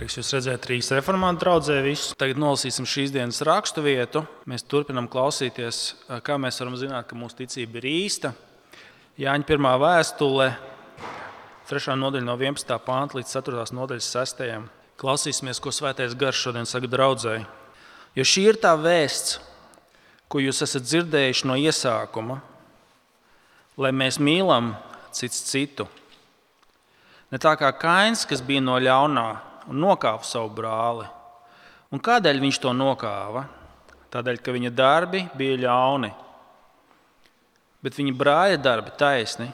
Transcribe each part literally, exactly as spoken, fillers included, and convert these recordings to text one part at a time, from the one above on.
Prieks jūs redzēt Rīgas reformātu draudzē visus. Tagad nolasīsim šīs dienas rakstu vietu. Mēs turpinām klausīties, kā mēs varam zināt, ka mūsu ticība ir īsta. Jāņa pirmā vēstule, trešā nodaļa no vienpadsmitā panta līdz ceturtās nodaļas sestajam. Klausīsimies, ko Svētais Gars šodien saka draudzei. Jo šī ir tā vēsts, ko jūs esat dzirdējuši no iesākuma, lai mēs mīlam cits citu. Ne tā kā Kains, kas bija no ļaunā un nokāva savu brāli. Un kādēļ viņš to nokāva? Tādēļ, ka viņa darbi bija ļauni, bet viņa brāļa darbi taisni.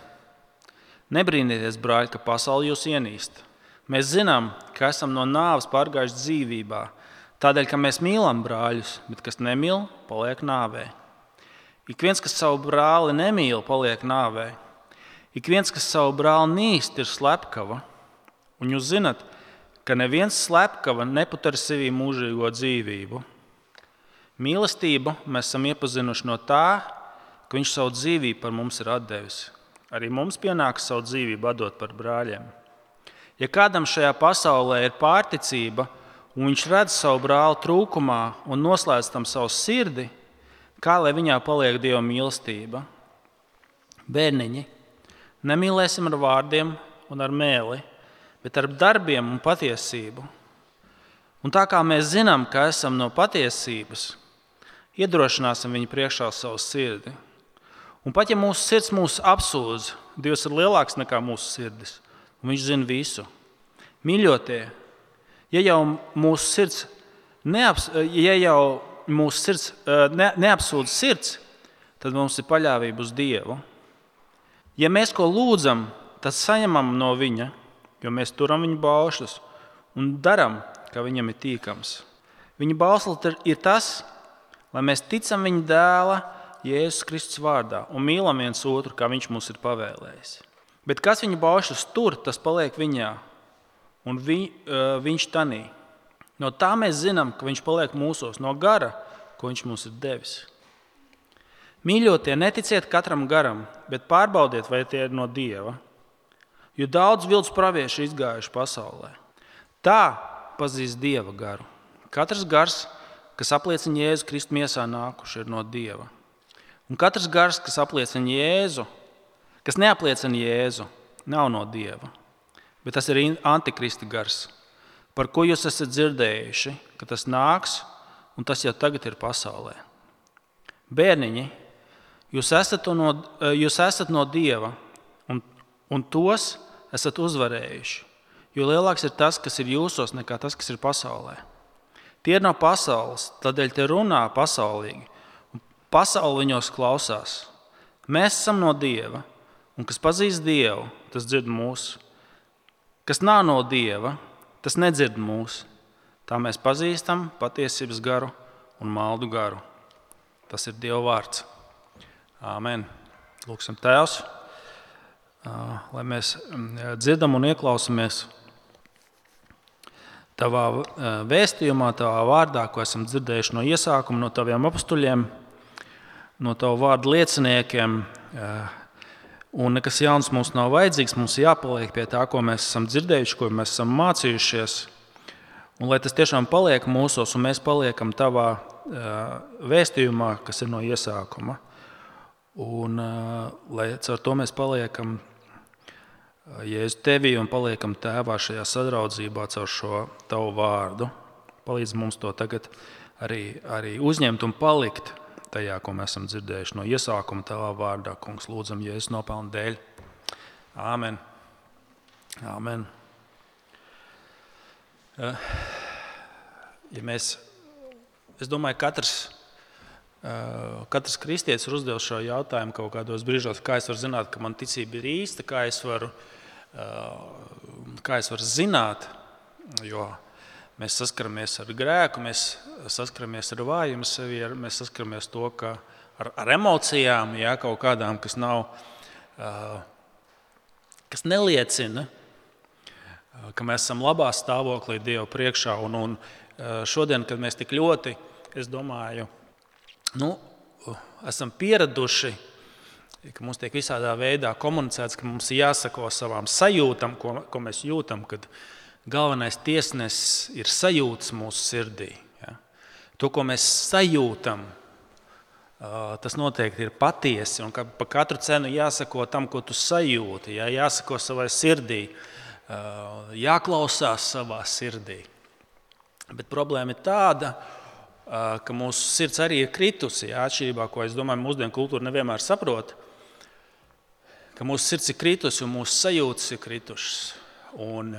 Nebrīnieties, brāļi, ka pasaule jūs ienīst. Mēs zinām, ka esam no nāves pārgājuši dzīvībā, tādēļ, ka mēs mīlam brāļus, bet kas nemīl, paliek nāvē. Ik viens, kas savu brāli nemīl, paliek nāvē. Ik viens, kas savu brāli nīst, ir slepkava. Un jūs zinat, ka neviens slepkava nepatur sevī mūžīgo dzīvību. Mīlestību mēs esam iepazinuši no tā, ka viņš savu dzīvību par mums ir atdevis. Arī mums pienāks savu dzīvību atdot par brāļiem. Ja kādam šajā pasaulē ir pārticība, un viņš redz savu brāli trūkumā un noslēdz tam savu sirdi, kā lai viņā paliek Dieva mīlestība? Bērniņi, nemīlēsim ar vārdiem un ar mēli, bet ar darbiem un patiesību. Un tā kā mēs zinām, ka esam no patiesības, iedrošināsim viņu priekšā savu sirdi. Un pat ja mūsu sirds mūs apsūdz, Dievs ir lielāks nekā mūsu sirdis, un viņš zina visu. Mīļotie, ja jau mūsu sirds, neaps, ja jau mūsu sirds ne, neapsūdz sirds, tad mums ir paļāvība uz Dievu. Ja mēs ko lūdzam, tad saņemam no viņa, jo mēs turam viņa baušļus un daram, ka viņam ir tīkams. Viņa bauslis ir tas, lai mēs ticam viņa dēla Jēzus Kristus vārdā un mīlam viens otru, kā viņš mums ir pavēlējis. Bet kas viņa baušļus tur, tas paliek viņā un vi, viņš tanī. No tā mēs zinām, ka viņš paliek mūsos, no gara, ko viņš mums ir devis. Mīļotie, neticiet katram garam, bet pārbaudiet, vai tie ir no Dieva. Jo daudz viltus pravieši izgājuši pasaulē. Tā pazīst Dieva garu. Katrs gars, kas apliecina Jēzu Kristu miesā nākuši, ir no Dieva. Un katrs gars, kas apliecina Jēzu, kas neapliecina Jēzu, nav no Dieva. Bet tas ir antikristi gars, par ko jūs esat dzirdējuši, ka tas nāks, un tas jau tagad ir pasaulē. Bērniņi, jūs esat no, jūs esat no Dieva, un, un tos esat uzvarējuši, jo lielāks ir tas, kas ir jūsos, nekā tas, kas ir pasaulē. Tie ir no pasaules, tādēļ te runā pasaulīgi, un pasaule viņos klausās. Mēs esam no Dieva, un kas pazīst Dievu, tas dzird mūsu. Kas nav no Dieva, tas nedzird mūsu. Tā mēs pazīstam patiesības garu un maldu garu. Tas ir Dieva vārds. Āmen. Lūksim Tēvs, lai mēs dzirdam un ieklausamies Tavā vēstījumā, Tavā vārdā, ko esam dzirdējuši no iesākuma, no Taviem apustuļiem, no Tavu vārdu lieciniekiem. Un nekas jauns mums nav vajadzīgs, mums jāpaliek pie tā, ko mēs esam dzirdējuši, ko mēs esam mācījušies. Un lai tas tiešām paliek mūsos, un mēs paliekam Tavā vēstījumā, kas ir no iesākuma. Un lai caur to mēs paliekam Jēzu Tevī un paliekam Tēvā šajā sadraudzībā caur šo Tavu vārdu. Palīdz mums to tagad arī, arī uzņemt un palikt tajā, ko mēs esam dzirdējuši no iesākuma Tavā vārdā. Kungs, lūdzam Jēzus nopelnu dēļ. Āmen. Āmen. Ja mēs, es domāju, katrs, katrs kristietis ir uzdevis šo jautājumu kaut kādos brīžos, kā es varu zināt, ka man ticība ir īsta, kā es varu, kā es varu zināt, jo mēs saskaramies ar grēku, mēs saskaramies ar vājumu sevi, mēs saskaramies to, ka ar, ar emocijām, jā, kaut kādām, kas nav, kas neliecina, ka mēs esam labā stāvoklī Dievu priekšā. Un, un šodien, kad mēs tik ļoti, es domāju, nu, esam pieraduši, ka mums tiek visādā veidā komunicēts, ka mums ir jāsako savām sajūtam, ko, ko mēs jūtam, kad galvenais tiesnesis ir sajūtas mūsu sirdī. Ja? To, ko mēs sajūtam, tas noteikti ir patiesi. Un par katru cenu jāsako tam, ko tu sajūti. Ja? Jāsako savai sirdī, jāklausās savā sirdī. Bet problēma ir tāda, ka mūsu sirds arī ir kritusi. Ja? Atšķirībā, ko es domāju, mūsdienu kultūra nevienmēr saprot, ka mūsu sirds ir kritusi un mūsu sajūtas ir kritušas. Un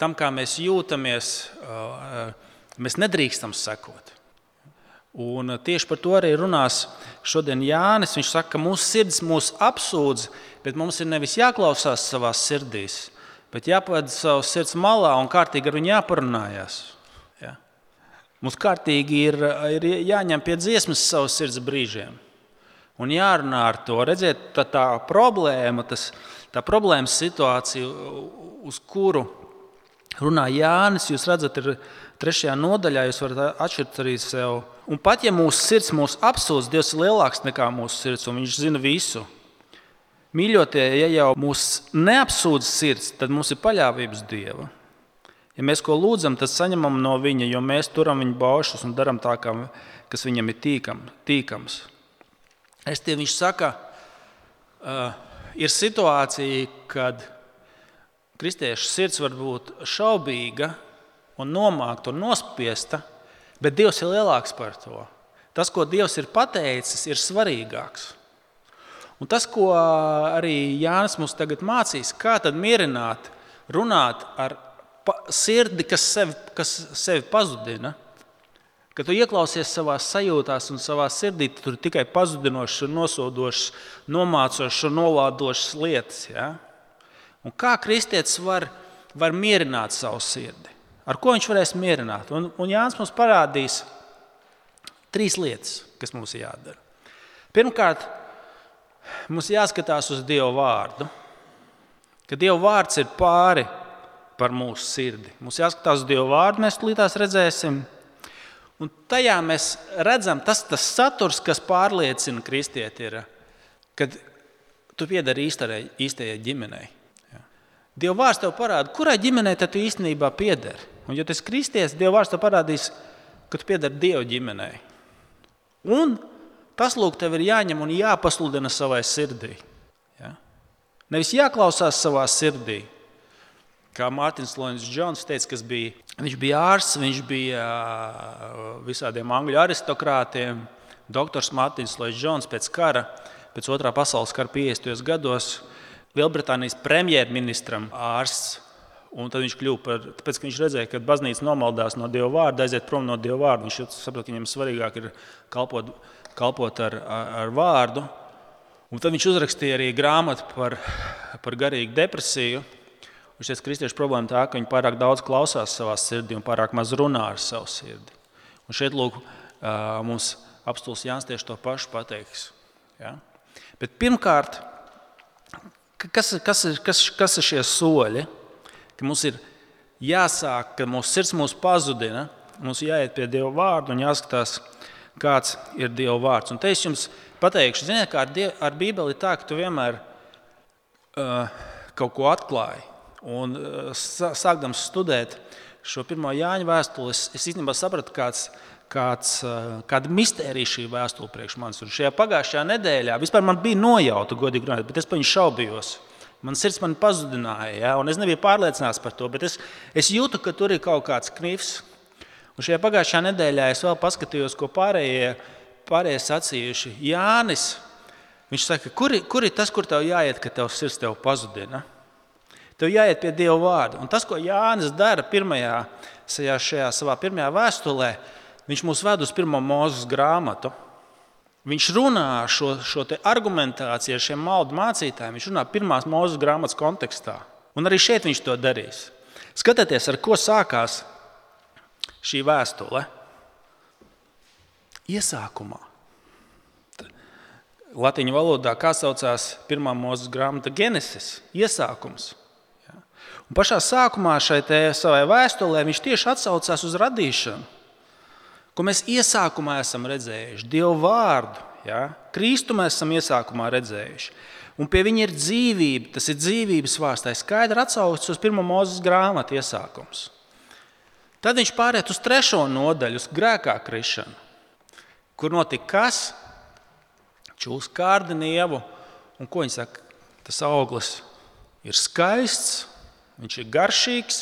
tam, kā mēs jūtamies, mēs nedrīkstam sekot. Un tieši par to arī runās šodien Jānis. Viņš saka, ka mūsu sirds mūs apsūdz, bet mums ir nevis jāklausās savās sirdīs, bet jāpavada savas sirds malā un kārtīgi ar viņu jāparunājās. Ja? Mums kārtīgi ir, ir jāņem pie dziesmas savas sirds brīžiem. Un jārunā ar to. Redziet, tā, tā problēma, tas, tā problēmas situācija, uz kuru runā Jānis, jūs redzat, ir trešajā nodaļā, jūs varat atšķirt arī sev. Un pat ja mūsu sirds mūs apsūdz, Dievs ir lielāks nekā mūsu sirds, un viņš zina visu. Mīļotie, ja jau mūs neapsūdz sirds, tad mums ir paļāvības Dieva. Ja mēs ko lūdzam, tad saņemam no viņa, jo mēs turam viņa baušus un daram tā, kas viņam ir tīkam, tīkams. Es tie viņš saka, uh, ir situācija, kad kristiešu sirds var būt šaubīga un nomākta un nospiesta, bet Dievs ir lielāks par to. Tas, ko Dievs ir pateicis, ir svarīgāks. Un tas, ko arī Jānis mums tagad mācīs, kā tad mierināt, runāt ar sirdi, kas sevi, kas sevi pazudina. Kad tu ieklausies savās sajūtās un savā sirdī, tur ir tikai pazudinošas, nosodošas, nomācošas un nolādošas lietas. Ja? Un kā kristietis var, var mierināt savu sirdi? Ar ko viņš varēs mierināt? Un, un Jānis mums parādīs trīs lietas, kas mums ir jādara. Pirmkārt, mums jāskatās uz Dieva vārdu. Ka Dieva vārds ir pāri par mūsu sirdi. Mums jāskatās uz Dieva vārdu, mēs tūlītās redzēsim. Un tajā mēs redzam, tas, tas saturs, kas pārliecina kristieti, ir, kad tu piedari īstajai ģimenei. Ja. Dieva vārds tev parāda, kurai ģimenei tu īstenībā piedari. Un ja tu esi kristietis, Dieva vārds tev parādīs, ka tu piedari Dieva ģimenei. Un tas, lūk, tev ir jāņem un jāpasludina savai sirdī. Ja. Nevis jāklausās savā sirdī. Kā Mārtiņš Lloyds Jones teica, kas bija, viņš bija ārsts, viņš bija visādiem angļu aristokrātiem. Doktors Mārtiņš Lloyds Jones pēc kara, pēc otrā pasaules kara piecdesmitajos gados, Lielbritānijas premjerministram ārsts. Un tad viņš kļuva par, tāpēc, ka viņš redzēja, ka baznīca nomaldās no Dieva vārda, aiziet prom no Dieva vārda. Viņš saprot, ka viņam svarīgāk ir kalpot, kalpot ar, ar, ar vārdu. Un tad viņš uzrakstīja arī grāmatu par, par garīgu depresiju. Viņš teica, ka kristiešu problēma tā, ka viņi pārāk daudz klausās savā sirdī un pārāk maz runā ar savu sirdi. Un šeit, lūk, mums apstults Jānis tieši to pašu pateiks. Ja? Bet pirmkārt, kas, kas, ir, kas, kas ir šie soļi? Ka mums ir jāsāk, ka mūsu sirds mūs pazudina, mums jāiet pie Dieva vārda un jāskatās, kāds ir Dieva vārds. Un te es jums pateikšu, ziniet, kā ar, Dievu, ar Bībeli ir tā, ka tu vienmēr uh, kaut ko atklāji. Un sākdams studēt šo pirmo Jāņa vēstuli, es, es īstenībā sapratu, kāds, kāds, kāda mistērija šī vēstule priekš manis. Un šajā pagājušajā nedēļā vispār man bija nojauta, godīgi runājot, bet es par viņu šaubījos. Man sirds man pazudināja, ja? Un es nebiju pārliecināts par to, bet es, es jūtu, ka tur ir kaut kāds knifs. Un šajā pagājušajā nedēļā es vēl paskatījos, ko pārējie, pārējie sacījuši. Jānis, viņš saka, kur, kur ir tas, kur tev jāiet, ka tev sirds tev pazudina? Tev jāiet pie Dieva vārda. Un tas, ko Jānis dara pirmajā, šajā savā pirmajā vēstulē, viņš mūs ved uz pirmo Mūzes grāmatu. Viņš runā šo, šo te argumentāciju ar šiem maldu mācītājiem. Viņš runā pirmās Mūzes grāmatas kontekstā. Un arī šeit viņš to darīs. Skatieties, ar ko sākās šī vēstule. Iesākumā. Latīņu valodā kā saucās pirmā Mūzes grāmata Genesis, iesākums. Un pašā sākumā šai te savai vēstulē viņš tieši atsaucās uz radīšanu, ko mēs iesākumā esam redzējuši, Dieva vārdu. Ja? Kristu mēs esam iesākumā redzējuši. Un pie viņa ir dzīvība, tas ir dzīvības vārds. Tā ir skaidri atsaucis uz pirmo Mūzes grāmatu iesākums. Tad viņš pāriet uz trešo nodaļu, uz grēkā krišanu, kur notika kas? Čūs kārda nievu. Un ko viņi saka? Tas auglis ir skaists, viņš ir garšīgs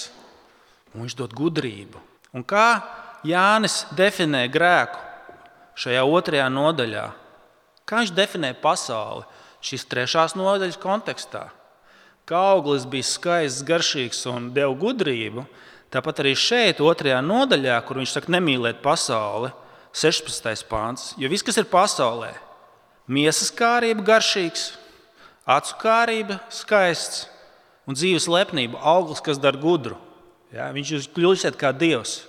un viņš dod gudrību. Un kā Jānis definē grēku šajā otrajā nodaļā? Kā viņš definē pasauli šīs trešās nodaļas kontekstā? Kā auglis bija skaists, garšīgs un deva gudrību, tāpat arī šeit, otrajā nodaļā, kur viņš saka nemīlēt pasauli, sešpadsmitais pāns, jo viss, kas ir pasaulē, miesas kārība garšīgs, acu kārība skaists un dzīves lepnība, auglis, kas dara gudru. Ja, viņš jūs kļūsiet kā Dievs,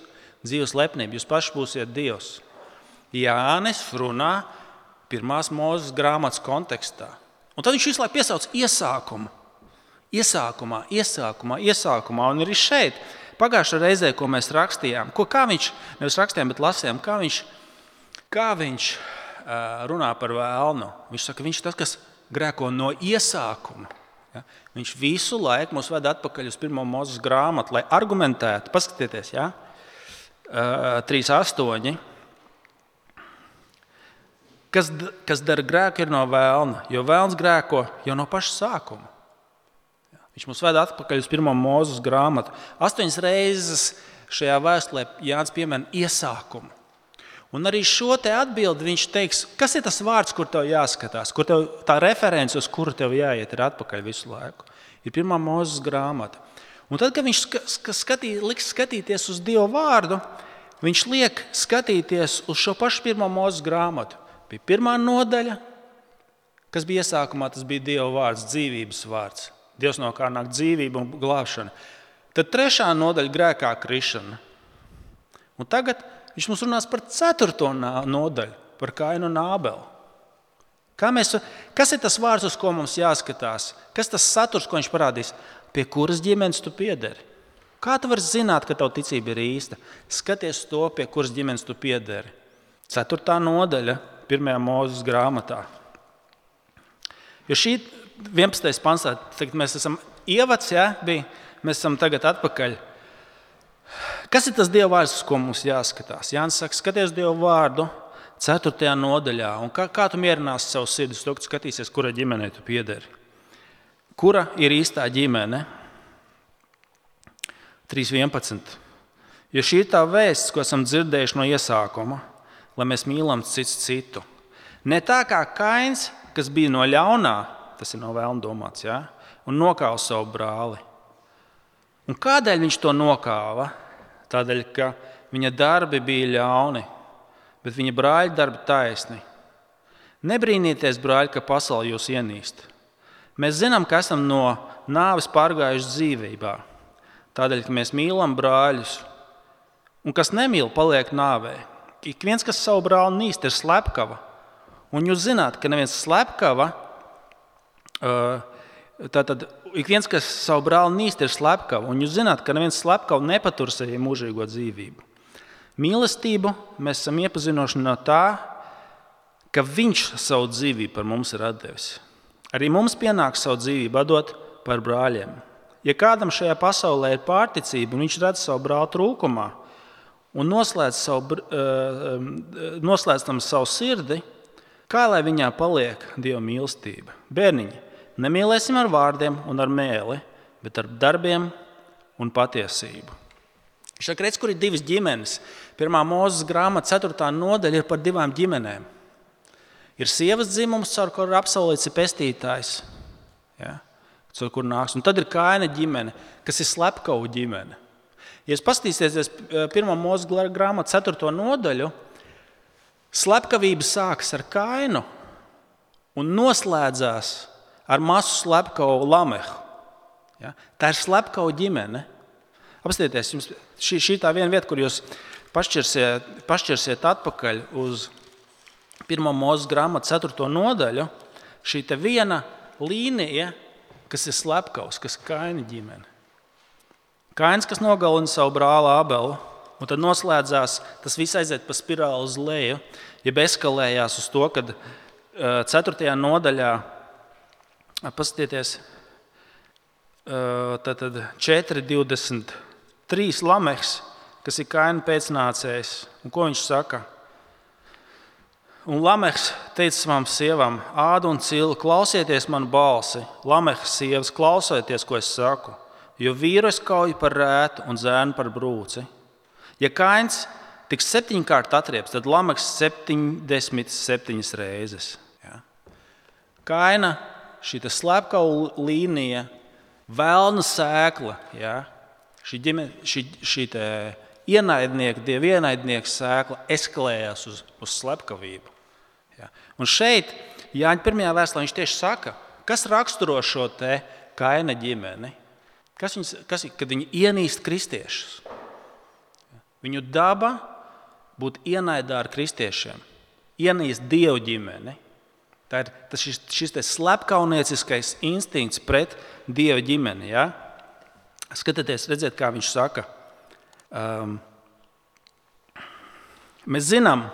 dzīves lepnība, jūs paši būsiet Dievs. Jānis runā pirmās Mūzes grāmatas kontekstā. Un tad viņš visu laiku piesauc iesākumu. Iesākumā, iesākumā, iesākumā. Un arī šeit, pagājušajā reizē, ko mēs rakstījām, ko kā viņš, nevis rakstījām, bet lasījām, kā viņš, kā viņš uh, runā par vēlnu. Viņš saka, viņš tas, kas grēko no iesākuma. Ja? Viņš visu laiku mūs ved atpakaļ uz pirmo Mūzes grāmatu, lai argumentētu. Paskatieties, ja? uh, trīs astoņi. Kas, kas dara grēku, ir no vēlna, jo vēlns grēko jau no paša sākuma. Viņš mums ved atpakaļ uz pirmo Mūzes grāmatu. Astoņas reizes šajā vēstulē Jānis piemin iesākumu. Un arī šo te atbildi viņš teiks, kas ir tas vārds, kur tev jāskatās, kur tev tā reference, uz kuru tev jāiet, ir atpakaļ visu laiku. Ir pirmā Mūzes grāmata. Un tad, kad viņš skatī, liks skatīties uz Dievu vārdu, viņš liek skatīties uz šo pašu pirmo Mūzes grāmatu. Bija pirmā nodaļa, kas bija iesākumā, tas bija Dieva vārds, dzīvības vārds. Dievs, no kā nāk dzīvība un glābšana. Tad trešā nodaļa grēkā krišana. Un tagad viņš mums runās par ceturto nodaļu, par Kainu un Ābeli. Kā mēs, kas ir tas vārds, uz ko mums jāskatās? Kas tas saturs, ko viņš parādīs? Pie kuras ģimenes tu piederi? Kā tu vari zināt, ka tava ticība ir īsta? Skaties to, pie kuras ģimenes tu piederi. Ceturtā nodaļa pirmajā Mūzes grāmatā. Jo šī vienpadsmitais pants, tagad mēs esam ievads, ja, bija, mēs esam tagad atpakaļ. Kas ir tas Dieva vārds, uz ko mums jāskatās? Jānis saka, skaties Dieva vārdu ceturtajā nodaļā. Un kā, kā tu mierināsi savu sirdi, to, ka tu skatīsies, kura ģimenei tu piederi? Kura ir īstā ģimene? trīs vienpadsmit. Jo šī ir tā vēsts, ko esam dzirdējuši no iesākuma, lai mēs mīlam cits citu. Ne tā kā Kains, kas bija no ļaunā, tas ir no vēlna domāts, ja? Un nokāva savu brāli. Un kādēļ viņš to nokāva? Tādēļ, ka viņa darbi bija ļauni, bet viņa brāļa darbi taisni. Nebrīnieties, brāļi, ka pasaule jūs ienīst. Mēs zinām, ka esam no nāves pārgājuši dzīvībā. Tādēļ, ka mēs mīlam brāļus. Un kas nemīl, paliek nāvē. Ik viens, kas savu brāli nīst, ir slepkava. Un jūs zināt, ka neviens slepkava, tātad ik viens, kas savu brāli nīst, ir slepkava. Un jūs zināt, ka neviens slepkava nepatur sevi mūžīgo dzīvību. Mīlestību mēs esam iepazinuši no tā, ka viņš savu dzīvību par mums ir atdevis. Arī mums pienāks savu dzīvību atdot par brāļiem. Ja kādam šajā pasaulē ir pārticība, un viņš redz savu brāli trūkumā, un noslēdz, savu, noslēdz tam savu sirdi, kā lai viņā paliek Dieva mīlestība? Bērniņi, nemīlēsim ar vārdiem un ar mēli, bet ar darbiem un patiesību. Šeit redz, kur ir divas ģimenes. Pirmā Mūzes grāmata, ceturtā nodaļa ir par divām ģimenēm. Ir sievas dzimums, caur kuru apsolīts ir pestītājs, ja, caur kuru nāks. Un tad ir Kaina ģimene, kas ir slepkavu ģimene. Ja jūs paskatīsieties pirmā Mūzes grāmata, ceturto nodaļu, slepkavība sākas ar Kainu un noslēdzās ar masu slepkavu Lamehu. Ja? Tā ir slepkavu ģimene. Apstieties, jums šī, šī tā viena vieta, kur jūs pašķirsiet, pašķirsiet atpakaļ uz pirmā Mūzes grāmata, ceturto nodaļu, šī te viena līnija, kas ir slepkavs, kas ir Kaina ģimene. Kains, kas nogalina savu brāli Ābelu, un tad noslēdzās, tas viss aiziet pa spirāli uz leju, jeb eskalējās uz to, kad ceturtajā nodaļā paskatieties, tātad četri divdesmit trīs Lamehs, kas ir Kaina pēcnācējs. Un ko viņš saka? Un Lamehs teica savām sievām, Āda un Cila, klausieties manu balsi. Lamehs sievas, klausieties, ko es saku, jo vīru es kauju par rētu un zēnu par brūci. Ja Kains tiks septiņkārt atrieps, tad Lamehs septiņdesmit septiņas reizes. Ja. Kaina šī slepkava līnija, vēlna sēkla, ja, šī, ģime, šī, šī ienaidnieka, dieva ienaidnieka sēkla eskalējās uz, uz slepkavību. Ja. Un šeit Jāņa pirmajā vēstulē viņš tieši saka, kas raksturo šo te Kaina ģimeni, kas viņas, kas, kad viņi ienīst kristiešus. Viņu daba būt ienaidā ar kristiešiem, ienīst dievu ģimeni. Tā ir tas šis, šis slepkavnieciskais instinkts pret dieva ģimeni. Ja? Skatieties, redziet, kā viņš saka. Um, mēs zinām,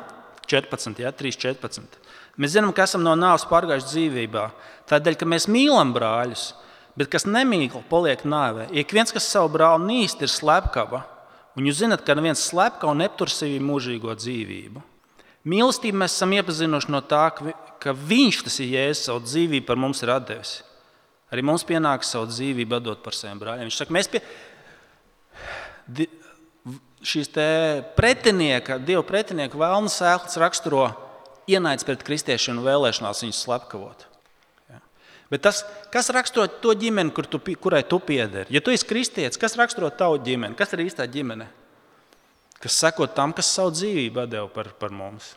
četrpadsmit, ja? trīs četrpadsmit. Mēs zinām, ka esam no nāves pārgājuši dzīvībā. Tādēļ, ka mēs mīlam brāļus, bet kas nemīl, paliek nāvē. Ik viens, kas savu brāli nīst, ir slepkava. Un jūs zināt, ka neviens slepkava neaptur sevī mūžīgo dzīvību. Mīlestību mēs esam iepazinuši no tā, ka viņš, tas ir Jēzus, savu dzīvību par mums ir atdevis. Arī mums pienāks savu dzīvību atdot par saviem brāļiem. Viņš saka, mēs pie šīs te pretinieka, dievu pretinieka vēlna sēklas raksturo ienaids pret kristiešiem un vēlēšanās viņus slepkavot. Ja. Bet tas, kas raksturo to ģimeni, kur tu, kurai tu piederi? Ja tu esi kristietis, kas raksturo tavu ģimeni? Kas ir īstā ģimene? Kas seko tam, kas savu dzīvību atdeva par, par mums.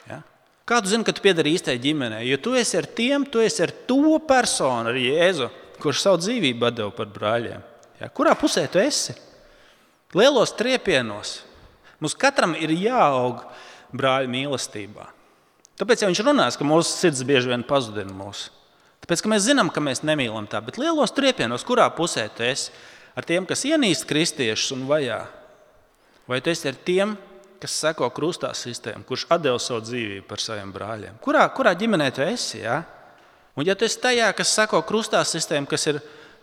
Ja? Kā tu zini, ka tu piedari īstai ģimenei? Jo tu esi ar tiem, tu esi ar to personu, ar Jēzu, kurš savu dzīvību atdeva par brāļiem. Ja? Kurā pusē tu esi? Lielos triepienos. Mums katram ir jāaug brāļu mīlestībā. Tāpēc, ja viņš runās, ka mūsu sirds bieži vien pazudina mūsu. Tāpēc, ka mēs zinām, ka mēs nemīlam tā, bet lielos triepienos, kurā pusē tu esi? Ar tiem, kas ienīst kristiešus un vajā? Vai tu esi ar tiem, kas seko krustā sistēmu, kurš atdeva savu dzīvību par saviem brāļiem? Kurā, kurā ģimenē tu esi? Ja? Un ja tu esi tajā, kas seko krustā sistēmu, kas ir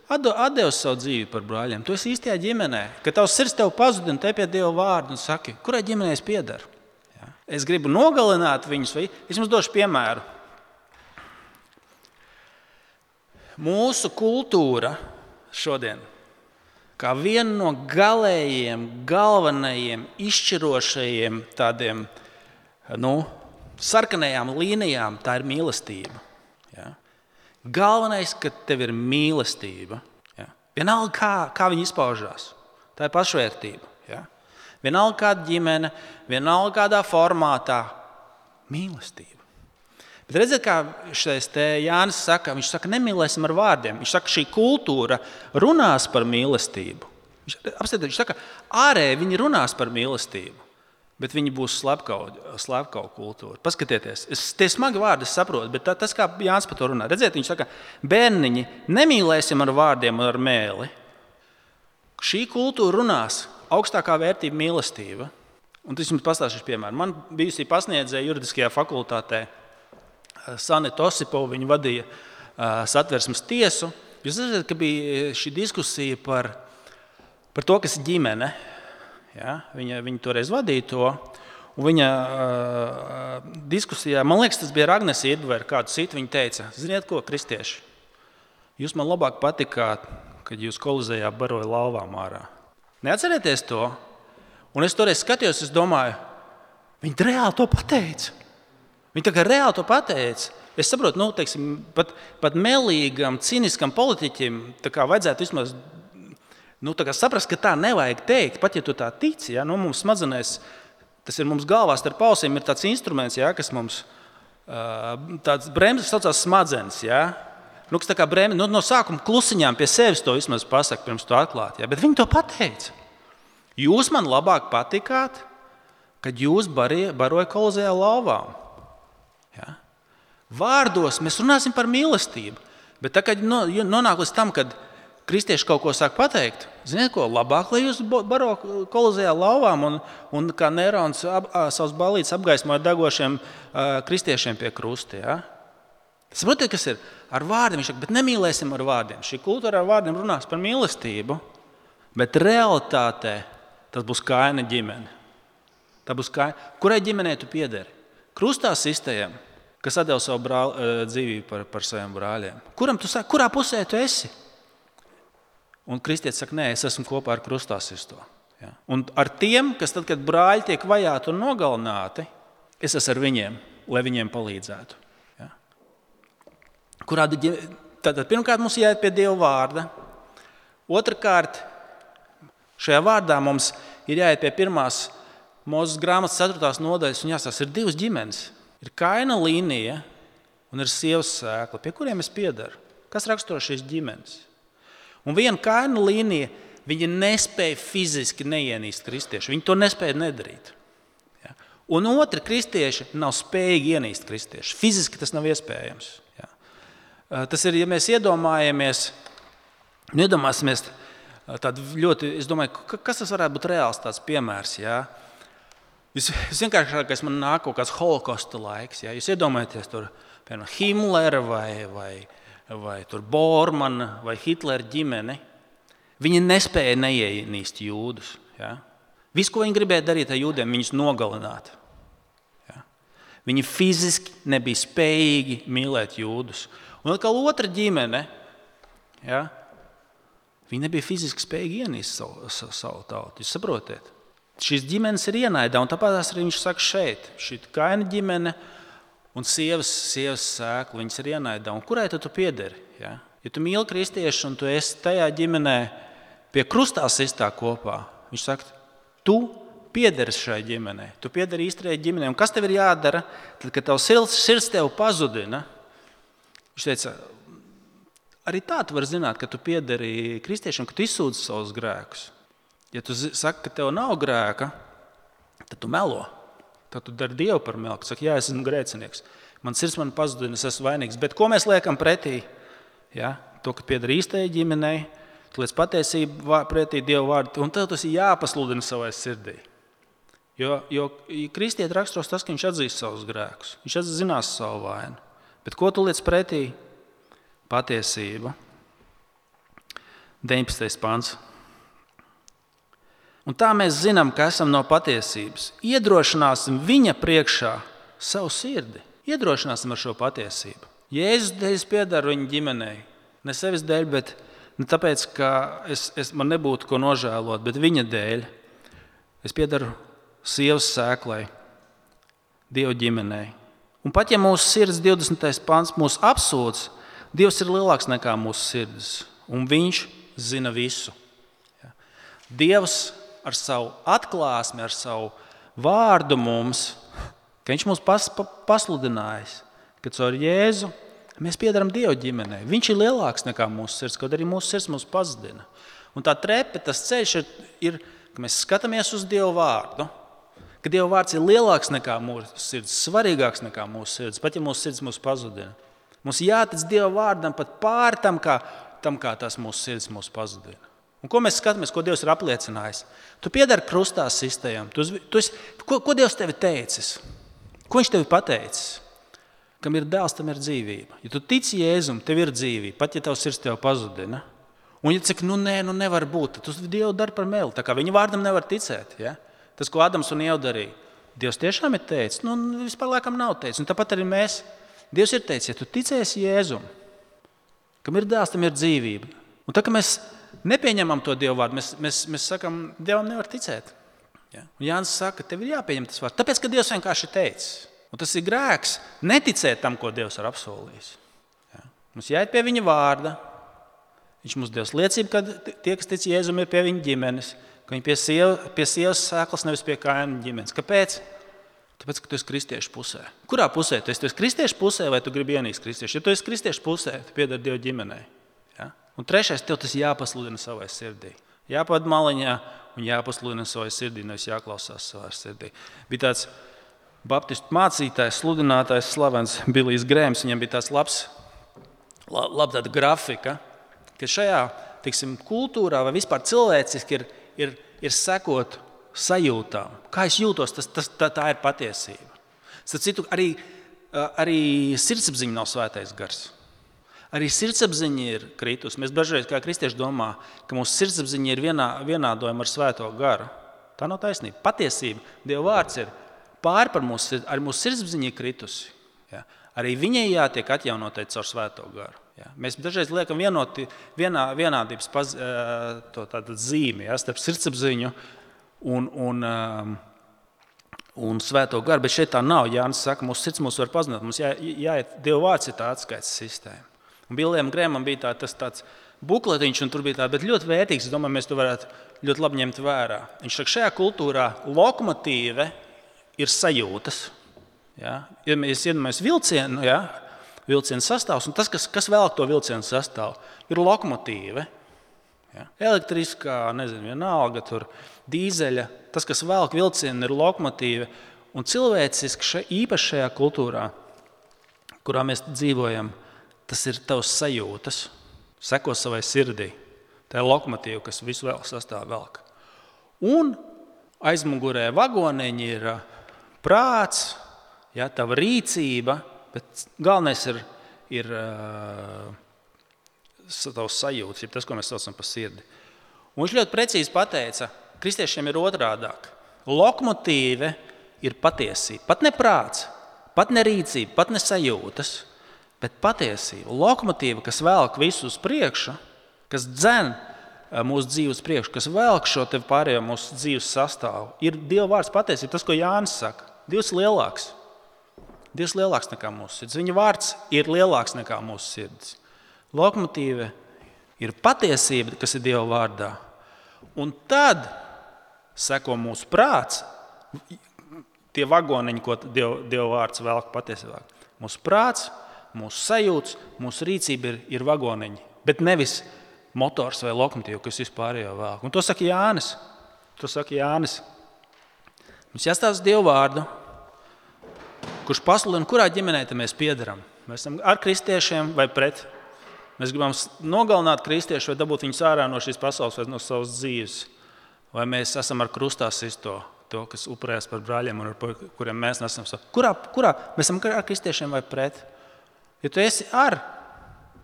atdevis savu dzīvību par brāļiem, tu esi īstajā ģimenē, ka tavs sirds tev pazudina, te pie Dieva vārdu un saki, kurai ģimenē es piedaru? Ja? Es gribu nogalināt viņus, vai es jums došu piemēru. Mūsu kultūra šodien, kā viena no galējiem, galvenajiem, izšķirošajiem tādiem, nu, sarkanajām līnijām, tā ir mīlestība. Ja? Galvenais, ka tev ir mīlestība. Ja? Vienalga, kā, kā viņi izpaužās. Tā ir pašvērtība. Ja? Vienalga kāda ģimene, vienalga kādā formātā. Mīlestība. Bet redziet, kā šis te Jānis saka, viņš saka, nemīlēsim ar vārdiem. Viņš saka, šī kultūra runās par mīlestību. Viņš, apstāties, viņš saka, ārēji viņi runās par mīlestību, bet viņi būs slepkavu kultūra. Paskatieties, es, tie smagi vārdi es saprotu, bet tā, tas, kā Jānis par to runā. Redziet, viņš saka, bērniņi, nemīlēsim ar vārdiem un ar mēli. Šī kultūra runās augstākā vērtība mīlestība. Un tas jums pastāstīšu piemēru. Man bijusī pasniedzēja juridiskajā fakultātē Sanita Osipova, viņa vadīja uh, satversmes tiesu. Jūs zināt, ka bija šī diskusija par, par to, kas ir ģimene. Ja? Viņa, viņa toreiz vadīja to. Un viņa uh, diskusijā, man liekas, tas bija ar Agnesi Iedveru, kādu citu, viņa teica, ziniet ko, kristieši, jūs man labāk patikāt, kad jūs Kolizejā baroja lauvām ārā. Neatcerieties to? Un es toreiz skatījos, es domāju, viņi reāli to pateica. Viņi tā kā reāli to pateica. Es saprotu, nu, teiksim, pat, pat melīgam, ciniskam politiķim tā kā vajadzētu vismaz nu, tā kā saprast, ka tā nevajag teikt. Pat ja tu tā tici, ja, nu, mums smadzenēs, tas ir mums galvā starp ausīm, ir tāds instruments, ja, kas mums tāds bremzes saucās smadzenes. Ja. Nu, kas tā kā bremze, nu, no sākuma klusiņām pie sevis to vismaz pasaka, pirms to atklāt. Ja. Bet viņi to pateica. Jūs man labāk patikāt, kad jūs baroja Kolizejā lauvām. Ja? Vārdos mēs runāsim par mīlestību, bet tā, kad nonāk līdz tam, kad kristieši kaut ko sāk pateikt, ziniet ko, labāk, lai jūs baro Kolizejā lauvām un, un kā Nerons ap, savus balītes apgaismoja degošiem uh, kristiešiem pie krusta. Ja? Saprotiet, kas ir ar vārdiem? Viņš saka, bet nemīlēsim ar vārdiem. Šī kultūra ar vārdiem runās par mīlestību, bet realitātē tas būs Kaina ģimene. Tā būs Kaina. Kurai ģimenei tu piederi? Krustā sistējam, kas atdeva savu brāl, dzīvību par, par saviem brāļiem. Kuram tu saki, kurā pusē tu esi? Un kristietis saka, nē, es esmu kopā ar krustā sisto. Ja? Un ar tiem, kas tad, kad brāļi tiek vajāti un nogalināti, es esmu ar viņiem, lai viņiem palīdzētu. Ja? Kurā, tātad, pirmkārt, mums jāiet pie Dieva vārda. Otrakārt, šajā vārdā mums ir jāiet pie pirmās Mūzes grāmatas ceturtās nodaļas, un jāsās, ir divas ģimenes. Ir Kaina līnija un ir sievas sēkla, pie kuriem es piedaru. Kas raksturo šīs ģimenes? Un viena Kaina līnija, viņi nespēja fiziski neienīst kristiešu. Viņi to nespēja nedarīt. Ja? Un otri kristieši nav spējīgi ienīst kristiešu. Fiziski tas nav iespējams. Ja? Tas ir, ja mēs iedomājamies, iedomāsimies tādu ļoti, es domāju, kas tas varētu būt reāls tāds piemērs, ja? Visvienkāršākais man nāk kaut kāds holokosta laiks. Ja? Jūs iedomājaties tur, piemēram, Himmlera vai, vai, vai tur Bormana vai Hitlera ģimeni. Viņi nespēja neienīst jūdus. Ja? Visu, ko viņi gribēja darīt ar jūdiem, viņus nogalināt. Ja? Viņi fiziski nebija spējīgi mīlēt jūdus. Un atkal otra ģimene, ja? Viņi nebija fiziski spējīgi ienīst savu, savu, savu tautu. Jūs saprotiet? Šīs ģimenes ir ienaidā, un tāpēc arī viņš saka šeit. Šī Kaina ģimene un sievas, sievas sēkla, viņas ir ienaidā. Un kurai tu piederi? Ja? Ja tu mīli kristiešu un tu esi tajā ģimenē pie krustā sistā kopā, viņš saka, tu piederi šai ģimenei. Tu piederi īstajai ģimenei. Un kas tev ir jādara, tad, kad tavs sirds tev pazudina? Viņš teica, arī tā tu vari zināt, ka tu piederi kristiešiem, ka tu izsūdzi savus grēkus. Ja tu saki, ka tev nav grēka, tad tu melo. Tad tu dari Dievu par melu. Saki, jā, es esmu grēcinieks. Man sirds man pazudina, es esmu vainīgs. Bet ko mēs liekam pretī? Ja? To, ka pieder īstajai ģimenei, tu liec patiesību pretī Dievu vārdu, un tev tas ir jāpasludina savai sirdī. Jo, jo kristieti raksturos tas, ka viņš atzīst savus grēkus. Viņš atzinās savu vainu. Bet ko tu liec pretī? Patiesība. deviņpadsmitais pants. Un tā mēs zinām, ka esam no patiesības. Iedrošināsim viņa priekšā savu sirdi. Iedrošināsim ar šo patiesību. Jēzus dēļ piedaru viņa ģimenei. Ne sevis dēļ, bet ne tāpēc, ka es, es, man nebūtu ko nožēlot, bet viņa dēļ. Es piedaru sievas sēklai, Dieva ģimenei. Un pat ja mūsu sirds divdesmitais pants mūs apsūdz, Dievs ir lielāks nekā mūsu sirds. Un viņš zina visu. Ja. Dievs ar savu atklāsmi, ar savu vārdu mums, ka viņš mūs pas, pa, pasludinājis, ka caur Jēzu mēs piedaram Dieva ģimenei. Viņš ir lielāks nekā mūsu sirds, kaut arī mūsu sirds mūs pazudina. Un tā trepe, tas ceļš ir, ir, ka mēs skatāmies uz Dieva vārdu, ka Dieva vārds ir lielāks nekā mūsu sirds, svarīgāks nekā mūsu sirds, pat ja mūsu sirds mūs pazudina. Mums jātic Dieva vārdam pat pār tam, kā, tam, kā tas mūsu sirds mūs pazudina. Un ko mēs skatāmies, ko Dievs ir apliecinājis? Tu piedari krustā sistējam. Tu, tu esi, ko, ko Dievs tevi teicis? Ko viņš tevi pateicis? Kam ir dēls, tam ir dzīvība. Ja tu tici Jēzum, tev ir dzīvība, pat ja tavs sirds tev pazudina. Un ja tu saki, nu nē, nu nevar būt, tad tu Dievu dari par meli. Tā kā viņa vārdam nevar ticēt. Ja? Tas, ko Adams un Ieva darīja. Dievs tiešām ir teicis, nu vispār laikam nav teicis. Un tāpat arī mēs. Dievs ir teicis, ja tu ticēsi Jēzum, kam ir dēls, tam ir dzīvība. Un tā, ka mēs nepieņemam to Dievu vārdu, mēs, mēs, mēs sakam, Dievam nevar ticēt. Ja? Un Jānis saka, tev ir jāpieņem tas vārds, tāpēc, ka Dievs vienkārši teicis. Un tas ir grēks neticēt tam, ko Dievs ir apsolījis. Ja? Mums jāiet pie viņa vārda. Viņš mums Dievs liecība, ka tie, kas tic Jēzum, ir pie viņa ģimenes, ka viņi pie, sieva, pie sievas sēklas, nevis pie Kaina ģimenes. Kāpēc? Tāpēc, ka tu esi kristiešu pusē. Kurā pusē? Tu esi, tu esi kristiešu pusē vai tu gribi ienīst kristiešu? Ja tu esi kristiešu pusē, tu piedari Dieva ģimenei. Ja? Un trešais, tev tas jāpasludina savai sirdī. Jāpad maliņā un jāpasludina savai sirdī, nevis jāklausās savai sirdī. Bija tāds baptistu mācītājs, sludinātājs, slavens Bilijs Grēms. Viņam bija tāds labs, lab, lab tāda grafika, ka šajā, tiksim, kultūrā vai vispār cilvēciski ir, ir, ir sekot sajūtām. Kā es jūtos, tas, tas, tā, tā ir patiesība. Starp citu, arī arī sirdsapziņa nav svētais gars. Arī sirdsapziņa ir kritus. Mēs dažreiz kā kristieši domā, ka mūsu sirdsapziņa ir vienā, vienādojama ar svēto garu. Tā nav taisnība. Patiesība, Dieva vārds ir pār par mūsu sirdsapziņu. Arī mūsu sirdsapziņa ir kritusi. Ja? Arī viņai jātiek atjaunotai caur svēto garu. Ja? Mēs dažreiz liekam vienoti, vienā, vienādības paz, to tātad zīmi, ja? Starp sirdsapziņu un, un, un svēto garu, bet šeit tā nav. Jānis saka, mūsu sirds mūs var pazināt. Mums jā, jāiet, Dieva vārds ir tā atskaites sistēma. Un Billijam Grēmam bija tā, tas tāds bukletiņš, un tur bija tā, bet ļoti vērtīgs. Es domāju, mēs to varētu ļoti labi ņemt vērā. Viņš saka, šajā kultūrā lokomotīve ir sajūtas. Ja? Ja mēs iedomājamies vilcienu, ja? Vilcienu sastāvs, un tas, kas, kas velk to vilcienu sastāvu, ir lokomotīve. Ja? Elektriskā, nezinu, vienalga, tur dīzeļa, tas, kas velk vilcienu, ir lokomotīve. Un cilvēciski še, īpaši šajā kultūrā, kurā mēs dzīvojam, tas ir tavs sajūtas, seko savai sirdī. Tā ir lokomotīva, kas visu vēl sastāv velk. Un aizmugurē vagoniņi ir prāts, ja, tava rīcība, bet galvenais ir, ir uh, tavs sajūtas, ir tas, ko mēs saucam par sirdi. Un viņš ļoti precīzi pateica, kristiešiem ir otrādāk. Lokomotīve ir patiesība, pat ne prāts, pat ne rīcība, pat ne sajūtas, bet patiesība, lokomotīva, kas velk visu uz priekšu, kas dzen mūsu dzīves priekšu, kas velk šo tev pārējo mūsu dzīves sastāvu, ir Dieva vārds patiesība, tas, ko Jānis saka. Dievs lielāks. Dievs lielāks nekā mūsu sirds. Viņa vārds ir lielāks nekā mūsu sirds. Lokomotīva ir patiesība, kas ir Dieva vārdā. Un tad seko mūsu prāts, tie vagoniņi, ko Dieva, Dieva vārds velk patiesībā. Mūsu prāts, mūsu sajūtas, mūsu rīcība ir, ir vagoniņi, bet nevis motors vai lokomotīva, kas vispārējo velk. Un to saka Jānis. To saka Jānis. Mums jāstāsta Dieva vārdu, kurš pasludina, kurā ģimenē mēs piederam. Mēs esam ar kristiešiem vai pret. Mēs gribam nogalināt kristiešus vai dabūt viņus ārā no šīs pasaules vai no savas dzīves. Vai mēs esam ar krustā sisto, to, kas upurējas par brāļiem un ar kuriem mēs nesam. Kurā, kurā mēs esam ar kristiešiem vai pret? Ja tu esi ar,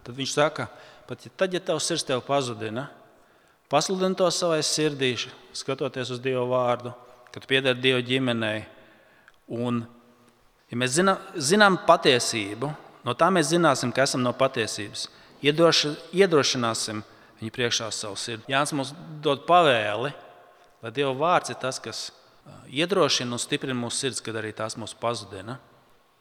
tad viņš saka, pat ja tad, ja tavs sirds tev pazudina, pasludini to savai sirdīši, skatoties uz Dieva vārdu, kad tu piedari Dieva ģimenei. Un, ja mēs zinām, zinām patiesību, no tā mēs zināsim, ka esam no patiesības. Iedroši, iedrošināsim viņu priekšā savu sirdi. Jānis mums dod pavēli, lai Dieva vārds ir tas, kas iedrošina un stiprina mūsu sirds, kad arī tās mūs pazudina.